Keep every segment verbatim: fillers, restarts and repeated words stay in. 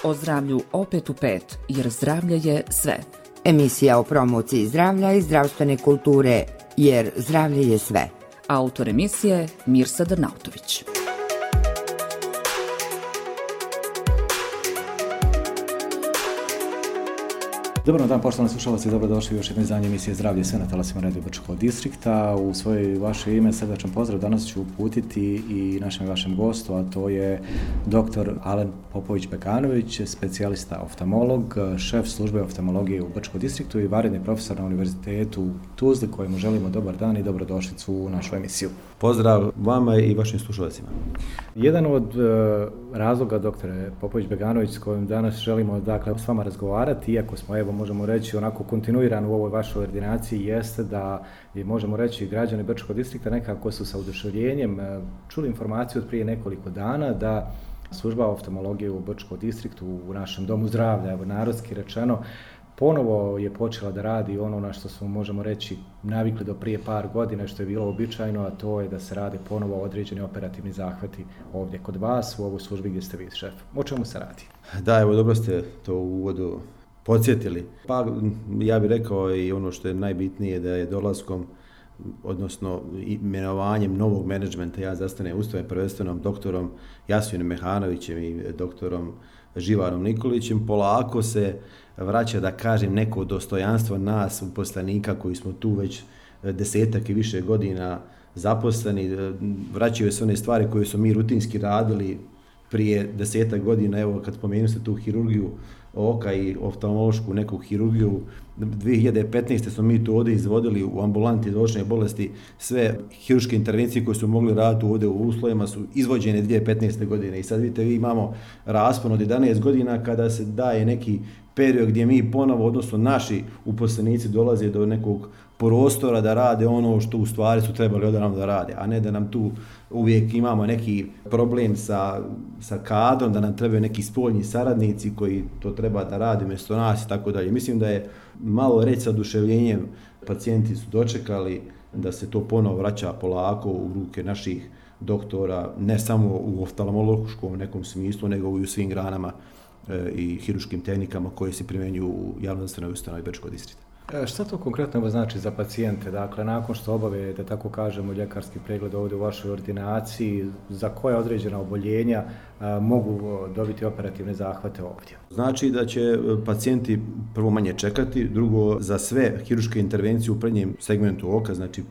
O zdravlju opet u pet, jer zdravlje je sve. Emisija o promociji zdravlja i zdravstvene kulture, jer zdravlje je sve. Autor emisije Mirsa Drnautović. Dobar dan, poštovani slušalci, dobrodošli u još jedno izdanje emisije Zdravlje sve na talasima Radio Brčkog distrikta. U svoje vaše ime srdačan pozdrav danas ću uputiti i našem vašem gostu, a to je doktor Alen Popović-Bekanović, specijalista oftalmolog, šef službe oftalmologije u Brčkom distriktu i vanredni profesor na Univerzitetu u Tuzli, kojemu želimo dobar dan i dobrodošlicu u našu emisiju. Pozdrav vama i vašim slušalcima. Jedan od uh, razloga, doktore Popović-Bekanović, s kojim danas želimo dakle, s vama razgovarati, iako smo, evo, možemo reći, onako kontinuirano u ovoj vašoj ordinaciji, jeste da je, možemo reći, građani Brčkog distrikta nekako su sa oduševljenjem uh, čuli informaciju od prije nekoliko dana da služba oftalmologije u Brčkom distriktu, u našem domu zdravlja, evo, narodski rečeno, ponovo je počela da radi ono na što smo, možemo reći, navikli do prije par godina, što je bilo običajno, a to je da se rade ponovo određeni operativni zahvati ovdje kod vas, u ovoj službi gdje ste vi šef. O čemu se radi? Da, evo, dobro ste to u uvodu podsjetili. Pa ja bih rekao i ono što je najbitnije, da je dolaskom, odnosno imenovanjem novog menadžmenta ja zastane ustavim prvenstvenom doktorom Jasminom Mehanovićem i doktorom Živarom Nikolićem, polako se vraća, da kažem, neko dostojanstvo nas uposlenika koji smo tu već desetak i više godina zaposleni. Vraćaju se one stvari koje smo mi rutinski radili prije desetak godina. Evo, kad spomenu se tu hirurgiju oka i oftalmološku neku hirurgiju, dvije hiljade petnaeste smo mi to ovdje izvodili u ambulanti za očne bolesti. Sve hirurške intervencije koje su mogli raditi ovdje u uslovima su izvođene dvije hiljade petnaeste godine. I sad vidite, vi imamo raspon od jedanaest godina kada se daje neki period gdje mi ponovo, odnosno naši uposlenici dolaze do nekog prostora da rade ono što u stvari su trebali odavno da rade, a ne da nam tu uvijek imamo neki problem sa, sa kadrom, da nam trebaju neki spoljni saradnici koji to treba da rade mjesto nas i tako dalje. Mislim da je malo reći sa oduševljenjem, pacijenti su dočekali da se to ponovo vraća polako u ruke naših doktora, ne samo u oftalmološkom nekom smislu, nego i u svim granama e, i hirurškim tehnikama koje se primjenjuju u javnozdravstvenoj ustanovi Brčkog distrikta. E, šta to konkretno znači za pacijente? Dakle, nakon što obave, da tako kažemo, ljekarski pregled ovdje u vašoj ordinaciji, za koja određena oboljenja a, mogu dobiti operativne zahvate ovdje? Znači da će pacijenti prvo manje čekati, drugo za sve hirurške intervencije u prednjem segmentu oka, znači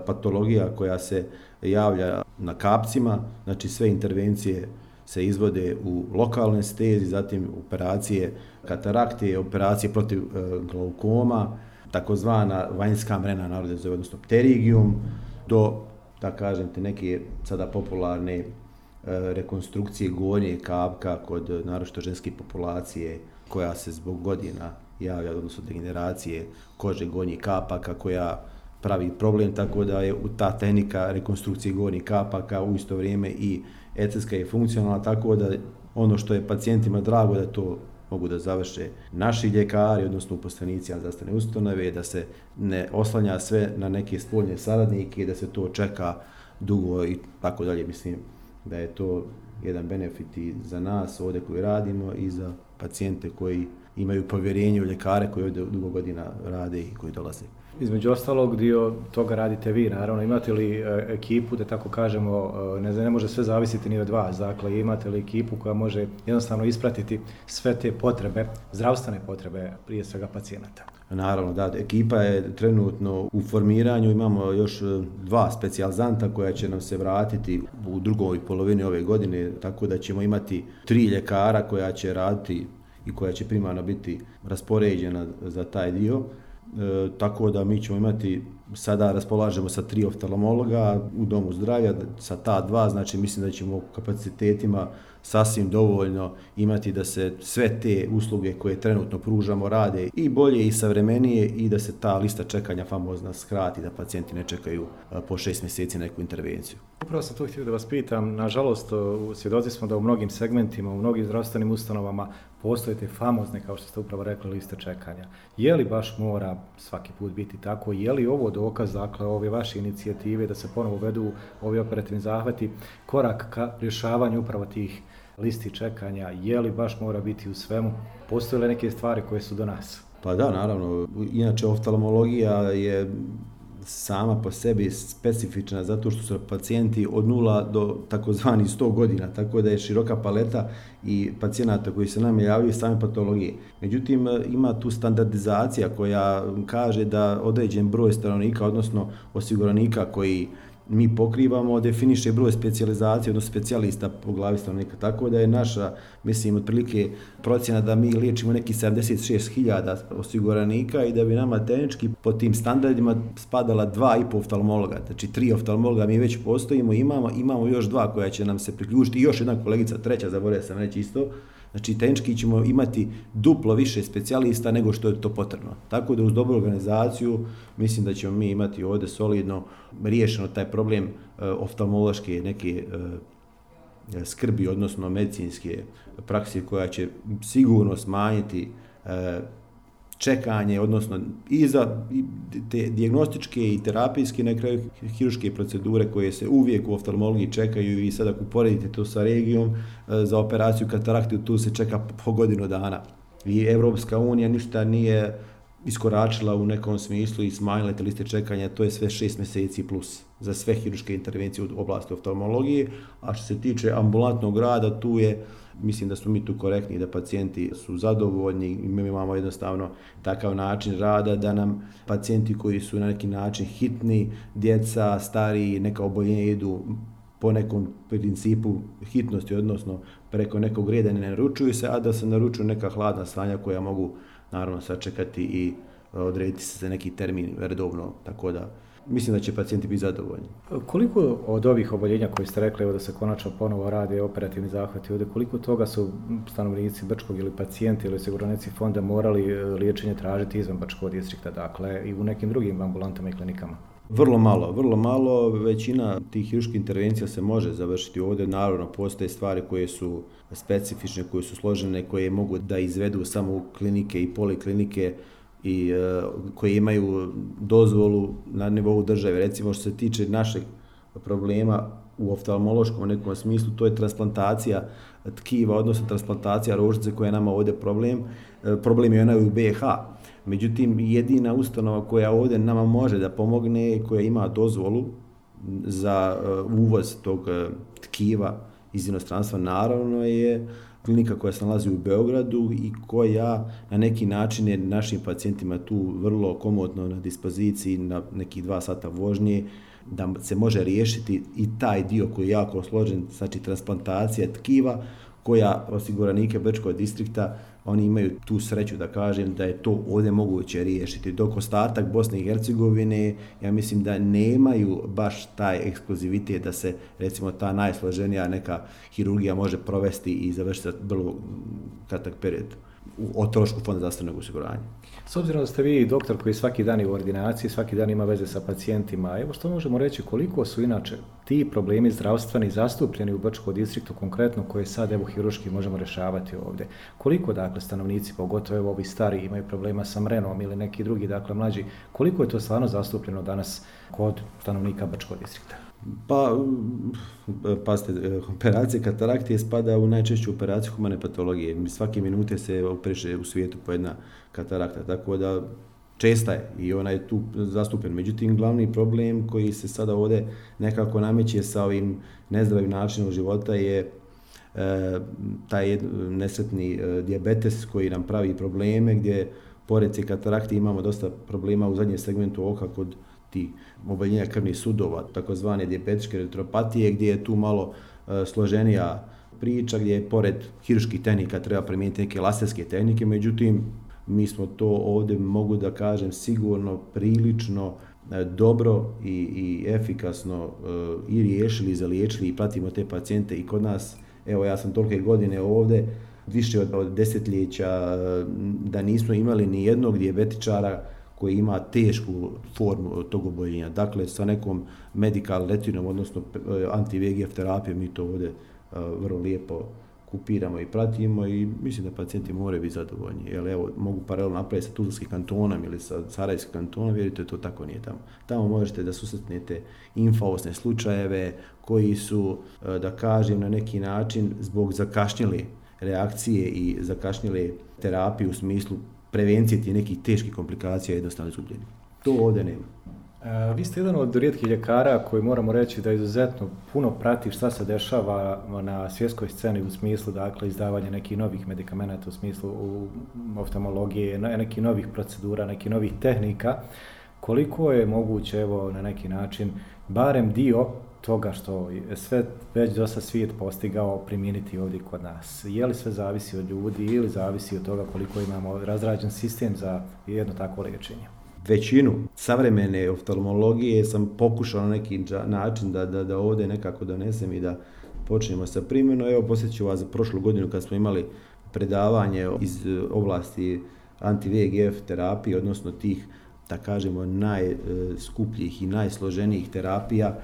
patologija koja se javlja na kapcima, znači sve intervencije se izvode u lokalnoj anesteziji, zatim operacije katarakte, operacije protiv e, glaukoma, takozvana vanjska mrena, narode zove, odnosno pterigijum, do, da kažem te, neke sada popularne e, rekonstrukcije gornje kapka kod naročito ženske populacije koja se zbog godina javlja, odnosno degeneracije kože gornjih kapaka koja pravi problem, tako da je ta tehnika rekonstrukcije gornjih kapaka u isto vrijeme i estetska je funkcionalna, tako da ono što je pacijentima drago da to mogu da završe naši ljekari, odnosno uposlenici zdravstvene ustanove, da se ne oslanja sve na neke spoljne saradnike, da se to čeka dugo i tako dalje. Mislim da je to jedan benefit i za nas ovdje koji radimo i za pacijente koji imaju povjerenje u ljekare koji ovdje dugo godina rade i koji dolaze. Između ostalog, dio toga radite vi, naravno. Imate li ekipu, da tako kažemo, ne, ne može sve zavisiti ni od vas, dakle, imate li ekipu koja može jednostavno ispratiti sve te potrebe, zdravstvene potrebe, prije svega pacijenata? Naravno, da, ekipa je trenutno u formiranju, imamo još dva specijalizanta koja će nam se vratiti u drugoj polovini ove godine, tako da ćemo imati tri ljekara koja će raditi i koja će primarno biti raspoređena za taj dio. E, tako da mi ćemo imati, sada raspolažemo sa tri oftalmologa u domu zdravlja, sa ta dva, znači mislim da ćemo kapacitetima sasvim dovoljno imati da se sve te usluge koje trenutno pružamo rade i bolje i savremenije i da se ta lista čekanja famozna skrati, da pacijenti ne čekaju po šest mjeseci neku intervenciju. Upravo sam to htio da vas pitam, nažalost svjedoci smo da u mnogim segmentima, u mnogim zdravstvenim ustanovama postoje te famozne, kao što ste upravo rekli, liste čekanja. Je li baš mora svaki put biti tako? Je li ovo dokaz, dakle, ove vaše inicijative da se ponovo vedu ovi operativni zahvati, korak ka rješavanju upravo tih listi čekanja, je li baš mora biti u svemu? Postoje li neke stvari koje su do nas? Pa da, naravno. Inače, oftalmologija je sama po sebi specifična zato što su pacijenti od nula do takozvani sto godina, tako da je široka paleta i pacijenata koji se nam javljaju same patologije. Međutim, ima tu standardizacija koja kaže da određen broj stanovnika, odnosno osiguranika koji mi pokrivamo, definiše broj specijalizacije, odnosno specijalista po glavi stanovnika. Tako da je naša, mislim, otprilike procjena da mi liječimo neki sedamdeset šest hiljada osiguranika i da bi nama tehnički po tim standardima spadala dva i po oftalmologa. Znači, tri oftalmologa mi već postojimo, imamo, imamo još dva koja će nam se priključiti i još jedna kolegica, treća, zaboravio sam reći isto. Znači, tehnički ćemo imati duplo više specijalista nego što je to potrebno. Tako da uz dobru organizaciju mislim da ćemo mi imati ovdje solidno riješeno taj problem e, oftalmološke neke e, skrbi, odnosno medicinske prakse koja će sigurno smanjiti e, čekanje, odnosno i za te dijagnostičke i terapijske, na kraju hirurške procedure koje se uvijek u oftalmologiji čekaju i sada ako uporedite to sa regijom, za operaciju katarakte tu se čeka po godinu dana. I Evropska unija ništa nije iskoračila u nekom smislu i smanjila te liste čekanja, to je sve šest mjeseci plus za sve hirurške intervencije u oblasti oftalmologije, a što se tiče ambulantnog rada, tu je, mislim da smo mi tu korektni, da pacijenti su zadovoljni i mi imamo jednostavno takav način rada da nam pacijenti koji su na neki način hitni, djeca, stariji, neka oboljenja idu po nekom principu hitnosti, odnosno preko nekog reda ne naručuju se, a da se naručuju neka hladna stanja koja mogu naravno sačekati i odrediti se za neki termin redovno, tako da mislim da će pacijenti biti zadovoljni. Koliko od ovih oboljenja koji ste rekli, evo da se konačno ponovo rade operativni zahvati ovdje, koliko toga su stanovnici Brčkog ili pacijenti ili osiguranici fonda morali liječenje tražiti izvan Brčkog distrikta, dakle i u nekim drugim ambulantama i klinikama? Vrlo malo, vrlo malo. Većina tih hirurških intervencija se može završiti ovdje. Naravno, postoje stvari koje su specifične, koje su složene, koje mogu da izvedu samo u klinike i poliklinike i uh, koji imaju dozvolu na nivou države. Recimo, što se tiče našeg problema u oftalmološkom nekom smislu, to je transplantacija tkiva, odnosno transplantacija rožice koja je nama ovdje problem. Uh, problem je ona u B iH. Međutim, jedina ustanova koja ovdje nama može da pomogne, koja ima dozvolu za uh, uvoz tog uh, tkiva iz inostranstva, naravno je klinika koja se nalazi u Beogradu i koja na neki način je našim pacijentima tu vrlo komodno na dispoziciji na nekih dva sata vožnje, da se može riješiti i taj dio koji je jako složen, znači transplantacija tkiva, koja osiguranike Brčkog distrikta, oni imaju tu sreću da kažem da je to ovdje moguće riješiti. Dok ostatak Bosne i Hercegovine, ja mislim da nemaju baš taj ekskluzivitet da se recimo ta najsloženija neka hirurgija može provesti i završiti za vrlo kratak period o trošku fonda zdravstvenog osiguranja. S obzirom da ste vi doktor koji svaki dan je u ordinaciji, svaki dan ima veze sa pacijentima, evo što možemo reći koliko su inače ti problemi zdravstveni zastupljeni u Brčkom distriktu konkretno koje sad evo hirurški možemo rješavati ovdje? Koliko dakle stanovnici, pogotovo evo ovi stari, imaju problema sa mrenom ili neki drugi, dakle mlađi, koliko je to stvarno zastupljeno danas kod stanovnika Brčkog distrikta? Pa, pazite, operacija katarakte spada u najčešću operaciju humane patologije. Svake minute se operiše u svijetu po jedna katarakta, tako da česta je i ona je tu zastupljen. Međutim, glavni problem koji se sada ovdje nekako nameće sa ovim nezdravim načinom života je e, taj nesretni e, dijabetes koji nam pravi probleme, gdje pored te katarakte imamo dosta problema u zadnjem segmentu oka kod ti oboljenja krvnih sudova, takozvane dijabetičke retropatije, gdje je tu malo e, složenija priča, gdje je pored hirurških tehnika treba primijeniti neke laserske tehnike, međutim, mi smo to ovdje, mogu da kažem, sigurno, prilično e, dobro i, i efikasno e, i riješili, zaliječili i pratimo te pacijente i kod nas. Evo, ja sam tolike godine ovdje, više od, od desetljeća, e, da nismo imali ni jednog dijabetičara koji ima tešku formu tog oboljenja. Dakle, sa nekom medical retinom, odnosno anti-V G F terapijom, mi to ovdje uh, vrlo lijepo kupiramo i pratimo i mislim da pacijenti moraju biti zadovoljni. Jer evo, mogu paralelno napraviti sa Tuzlanskim kantonom ili sa Sarajevskim kantonom, vjerujte, to tako nije tamo. Tamo možete da susretnete infaosne slučajeve koji su, da kažem, na neki način zbog zakašnjele reakcije i zakašnjele terapije u smislu prevencije tih nekih teških komplikacija jednostavno izgubljeni. To ovdje nema. E, vi ste jedan od rijetkih ljekara koji moramo reći da izuzetno puno prati šta se dešava na svjetskoj sceni u smislu, dakle, izdavanja nekih novih medikamenata u smislu u oftalmologije, nekih novih procedura, nekih novih tehnika. Koliko je moguće, evo, na neki način, barem dio toga što je sve već dosta svijet postigao primijeniti ovdje kod nas? Je li sve zavisi od ljudi ili zavisi od toga koliko imamo razrađen sistem za jedno takvo liječenje? Većinu savremene oftalmologije sam pokušao na neki način da, da, da ovdje nekako donesem i da počnemo sa primjenom. Evo, posjeću vas za prošlu godinu kad smo imali predavanje iz oblasti anti-V G F terapije, odnosno tih, da kažemo, najskupljih i najsloženijih terapija,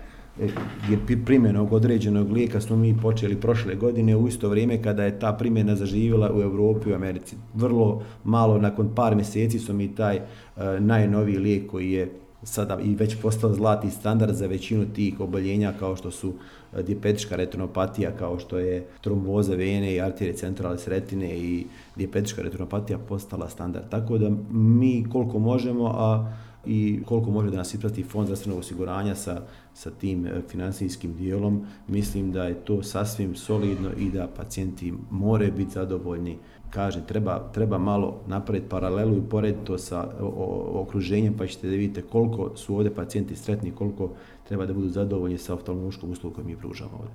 gdje primjenog određenog lijeka smo mi počeli prošle godine u isto vrijeme kada je ta primjena zaživjela u Europi i u Americi. Vrlo malo, nakon par mjeseci smo mi taj uh, najnoviji lijek koji je sada i već postao zlatni standard za većinu tih oboljenja kao što su uh, dijabetička retinopatija, kao što je tromboza vene i arterije centralis retine i dijabetička retinopatija postala standard. Tako da mi koliko možemo, a i koliko može da nas isprati Fond zdravstvenog osiguranja sa, sa tim financijskim dijelom, mislim da je to sasvim solidno i da pacijenti moraju biti zadovoljni. Kažem, treba, treba malo napraviti paralelu i porediti to sa o, o, okruženjem, pa ćete da vidite koliko su ovdje pacijenti sretni, koliko treba da budu zadovoljni sa oftalmološkom uslugom koju mi pružamo ovdje.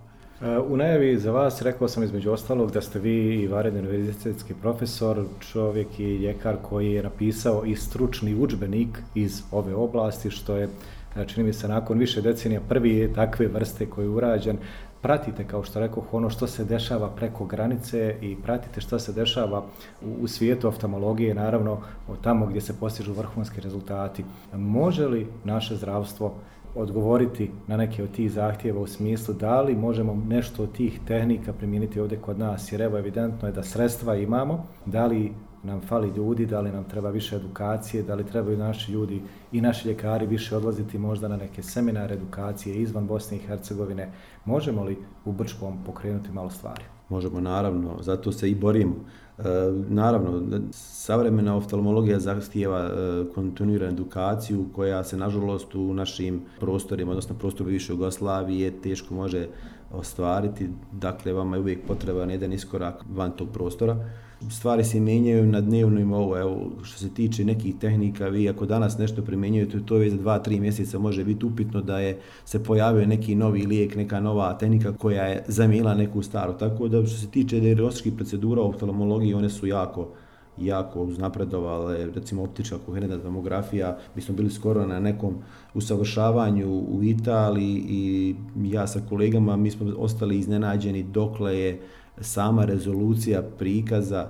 U najavi za vas rekao sam između ostalog da ste vi i vanredni univerzitetski profesor, čovjek i ljekar koji je napisao i stručni udžbenik iz ove oblasti, što je, čini mi se, nakon više decenija prvi takve vrste koji je urađen. Pratite, kao što rekao, ono što se dešava preko granice i pratite što se dešava u, u svijetu oftalmologije, naravno tamo gdje se postižu vrhunski rezultati. Može li naše zdravstvo odgovoriti na neke od tih zahtjeva u smislu da li možemo nešto od tih tehnika primijeniti ovdje kod nas, jer evo evidentno je da sredstva imamo, da li nam fali ljudi, da li nam treba više edukacije, da li trebaju naši ljudi i naši ljekari više odlaziti možda na neke seminare, edukacije izvan Bosne i Hercegovine. Možemo li u Brčkom pokrenuti malo stvari? Možemo, naravno, zato se i borimo. E, naravno, savremena oftalmologija zahtijeva e, kontinuiranu edukaciju koja se, nažalost, u našim prostorima, odnosno prostoru bivše Jugoslavije, teško može ostvariti. Dakle, vama je uvijek potreban jedan iskorak van tog prostora. Stvari se mijenjaju na dnevnom nivou. Evo, što se tiče nekih tehnika, vi ako danas nešto primjenjujete, to je za dva, tri mjeseca može biti upitno da je se pojavio neki novi lijek, neka nova tehnika koja je zamijenila neku staru. Tako da što se tiče dijagnostičkih procedura u oftalmologiji, one su jako jako uznapredovale, recimo optička koherentna tomografija. Mi smo bili skoro na nekom usavršavanju u Italiji i ja sa kolegama, mi smo ostali iznenađeni dokle je sama rezolucija prikaza,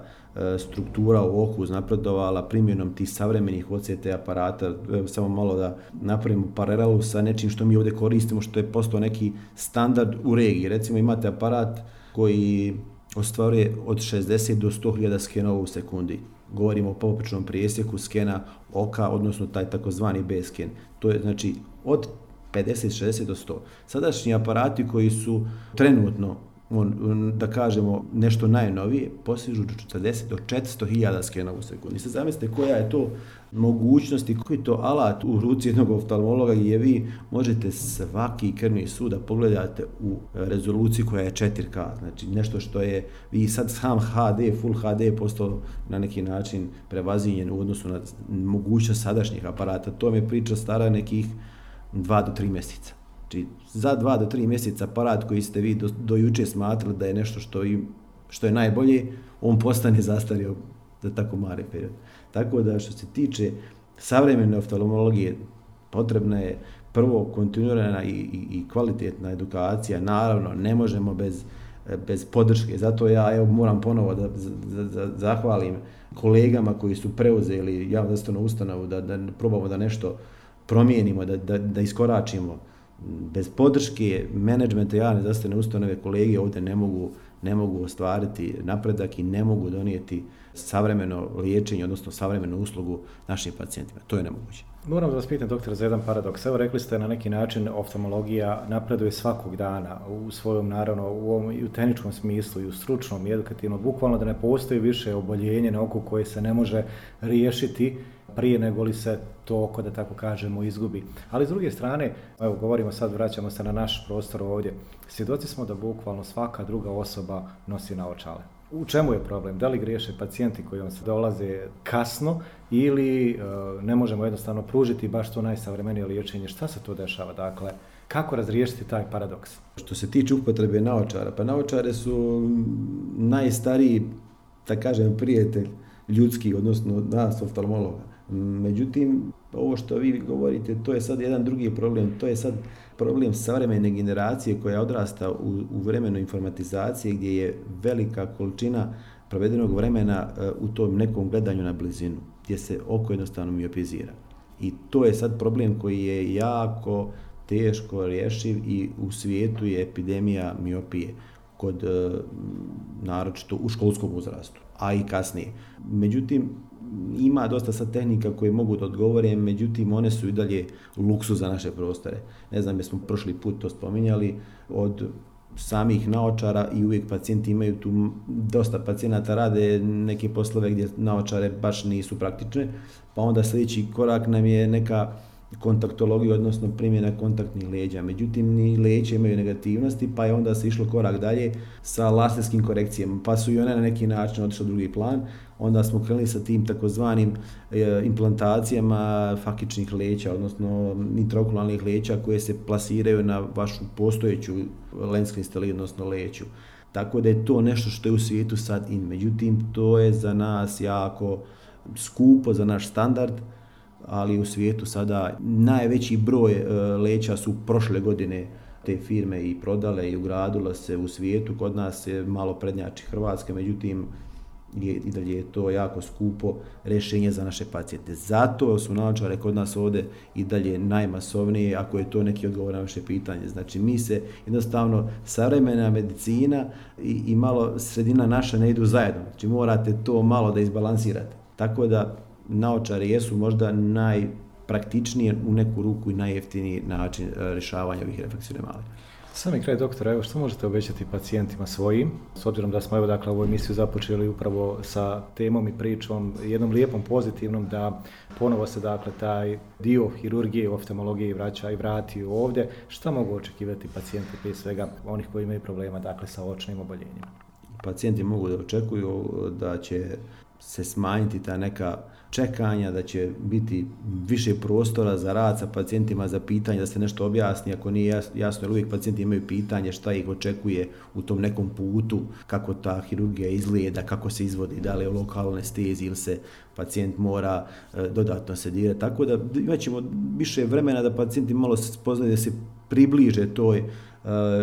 struktura u oku uznapredovala primjenom tih savremenih O C T aparata. Evo, samo malo da napravimo paralelu sa nečim što mi ovdje koristimo, što je postao neki standard u regiji. Recimo imate aparat koji ostvaruje od šezdeset do sto hiljada skenova u sekundi. Govorimo o poprečnom presjeku skena oka, odnosno taj takozvani B-sken. To je znači od pedeset, šezdeset do sto. Sadašnji aparati koji su trenutno, on, da kažemo, nešto najnovije, postižu do četrdeset do četiristo hiljada skenova u sekundi. Sad zamislite koja je to mogućnost i koji je to alat u ruci jednog oftalmologa gdje vi možete svaki krvni sud da pogledate u rezoluciji koja je četiri K. Znači nešto što je, vi sad sam H D, Full H D je postao na neki način prevaziđen u odnosu na mogućnost sadašnjih aparata. To mi je priča stara nekih dva do tri mjeseca. Znači, za dva do tri mjeseca aparat koji ste vi do, do juče smatrali da je nešto što, i, što je najbolje, on postane zastario za tako mali period. Tako da što se tiče savremene oftalmologije, potrebna je prvo kontinuirana i, i, i kvalitetna edukacija. Naravno, ne možemo bez, bez podrške. Zato ja evo, moram ponovo da za, za, zahvalim kolegama koji su preuzeli javnu zdravstvenu ustanovu da, da probamo da nešto promijenimo, da, da, da iskoračimo. Bez podrške menadžmenta javne zdravstvene ustanove kolege ovdje ne mogu ne mogu ostvariti napredak i ne mogu donijeti savremeno liječenje, odnosno savremenu uslugu našim pacijentima. To je nemoguće. Moram da vas pitam, doktor, za jedan paradoks. Evo, rekli ste na neki način oftalmologija napreduje svakog dana u svojom, naravno, u ovom i u tehničkom smislu i u stručnom i edukativnom, bukvalno da ne postoji više oboljenje na oku koje se ne može riješiti prije nego li se to oko, da tako kažemo, izgubi. Ali s druge strane, evo, govorimo sad, vraćamo se na naš prostor ovdje, svjedoci smo da bukvalno svaka druga osoba nosi naočale. U čemu je problem? Da li griješe pacijenti koji vam se dolaze kasno ili e, ne možemo jednostavno pružiti baš to najsavremenije liječenje? Šta se to dešava? Dakle, kako razriješiti taj paradoks? Što se tiče upotrebe naočara, pa naočare su najstariji, da kažem, prijatelj ljudski, odnosno nas oftalmologa. Međutim, ovo što vi govorite, to je sad jedan drugi problem, to je sad problem savremene generacije koja odrasta u, u vremenu informatizacije gdje je velika količina provedenog vremena u tom nekom gledanju na blizinu, gdje se oko jednostavno miopizira. I to je sad problem koji je jako teško rješiv i u svijetu je epidemija miopije kod naročito u školskom uzrastu, a i kasnije. Međutim, ima dosta sad tehnika koje mogu da odgovore, međutim one su i dalje luksuz za naše prostore. Ne znam, jesmo prošli put to spominjali, od samih naočara i uvijek pacijenti imaju tu, dosta pacijenata rade neke poslove gdje naočare baš nisu praktične, pa onda sljedeći korak nam je neka kontaktologija, odnosno primjena kontaktnih leđa. Međutim, ni leđa imaju negativnosti, pa je onda se išlo korak dalje sa laserskim korekcijama, pa su i one na neki način otišle u drugi plan. Onda smo krenuli sa tim takozvanim e, implantacijama fakičnih leća, odnosno intraokularnih leća koje se plasiraju na vašu postojeću lens kristaliju, odnosno leću. Tako da je to nešto što je u svijetu sad in. Međutim, to je za nas jako skupo, za naš standard, ali u svijetu sada najveći broj e, leća su prošle godine te firme i prodale i ugradile se u svijetu. Kod nas je malo prednjači Hrvatska, međutim je, i dalje je to jako skupo rješenje za naše pacijente. Zato su naočare kod nas ovdje i dalje najmasovnije, ako je to neki odgovor na vaše pitanje. Znači mi se jednostavno, savremena medicina i, i malo sredina naša ne idu zajedno. Znači morate to malo da izbalansirate. Tako da naočare jesu možda najpraktičnije u neku ruku i najjeftiniji način rješavanja ovih refleksivne malih. Sami kraj, doktora, evo što možete obećati pacijentima svojim, s obzirom da smo evo dakle ovu emisiju započeli upravo sa temom i pričom, jednom lijepom, pozitivnom, da ponovo se dakle taj dio hirurgije, oftalmologije vraća i vrati ovdje. Šta mogu očekivati pacijenti, prije svega onih koji imaju problema dakle sa očnim oboljenjima? Pacijenti mogu da očekuju da će se smanjiti ta neka čekanja, da će biti više prostora za rad sa pacijentima, za pitanje, da se nešto objasni, ako nije jasno, jer uvijek pacijenti imaju pitanje šta ih očekuje u tom nekom putu, kako ta hirurgija izgleda, kako se izvodi, da li je u lokalnoj anesteziji ili se pacijent mora e, dodatno sedirati. Tako da imat ćemo više vremena da pacijenti malo spoznaju, da se približe toj e,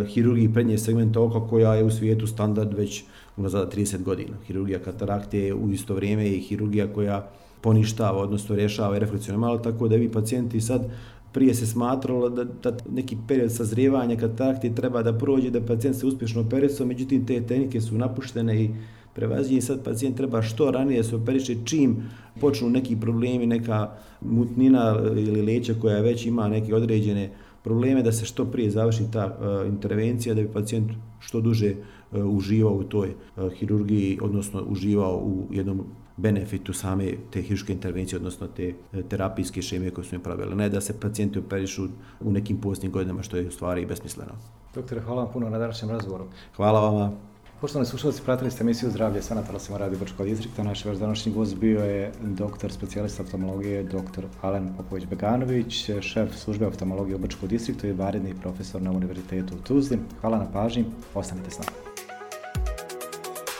hirurgiji prednje segmenta oka koja je u svijetu standard već unazad trideset godina. Hirurgija katarakte je u isto vrijeme i hirurgija koja poništava, odnosno rješava refleksivne malo, tako da vi pacijenti sad, prije se smatralo da, da neki period sazrijevanja katarakte treba da prođe, da pacijent se uspješno operisao, međutim te tehnike su napuštene i prevaziđenje, sad pacijent treba što ranije se operiše čim počnu neki problemi, neka mutnina ili leća koja već ima neke određene probleme, da se što prije završi ta uh, intervencija, da bi pacijent što duže uh, uživao u toj uh, hirurgiji, odnosno uživao u jednom benefitu same te hirurške intervencije, odnosno te terapijske šeme koje su im pravile. Ne da se pacijenti operišu u nekim posljednjim godinama, što je u stvari besmisleno. Doktore, hvala vam puno na današnjem razgovoru. Hvala vama. Poštovani slušalci, pratili ste emisiju Zdravlje sa Natalasom Radio Brčkog distrikta. Naš vaš današnji gost bio je doktor specijalista oftalmologije dr. Alen Popović-Beganović, šef službe oftalmologije u Brčkom distriktu i vanredni profesor na Univerzitetu u Tuzli. Hvala na pažnji, ostanite s nama.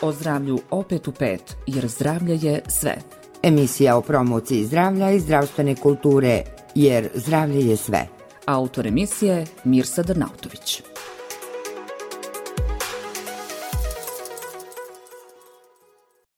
O zdravlju opet u pet, jer zdravlje je sve. Emisija o promociji zdravlja i zdravstvene kulture, jer zdravlje je sve. Autor emisije Mirsa Drnautović.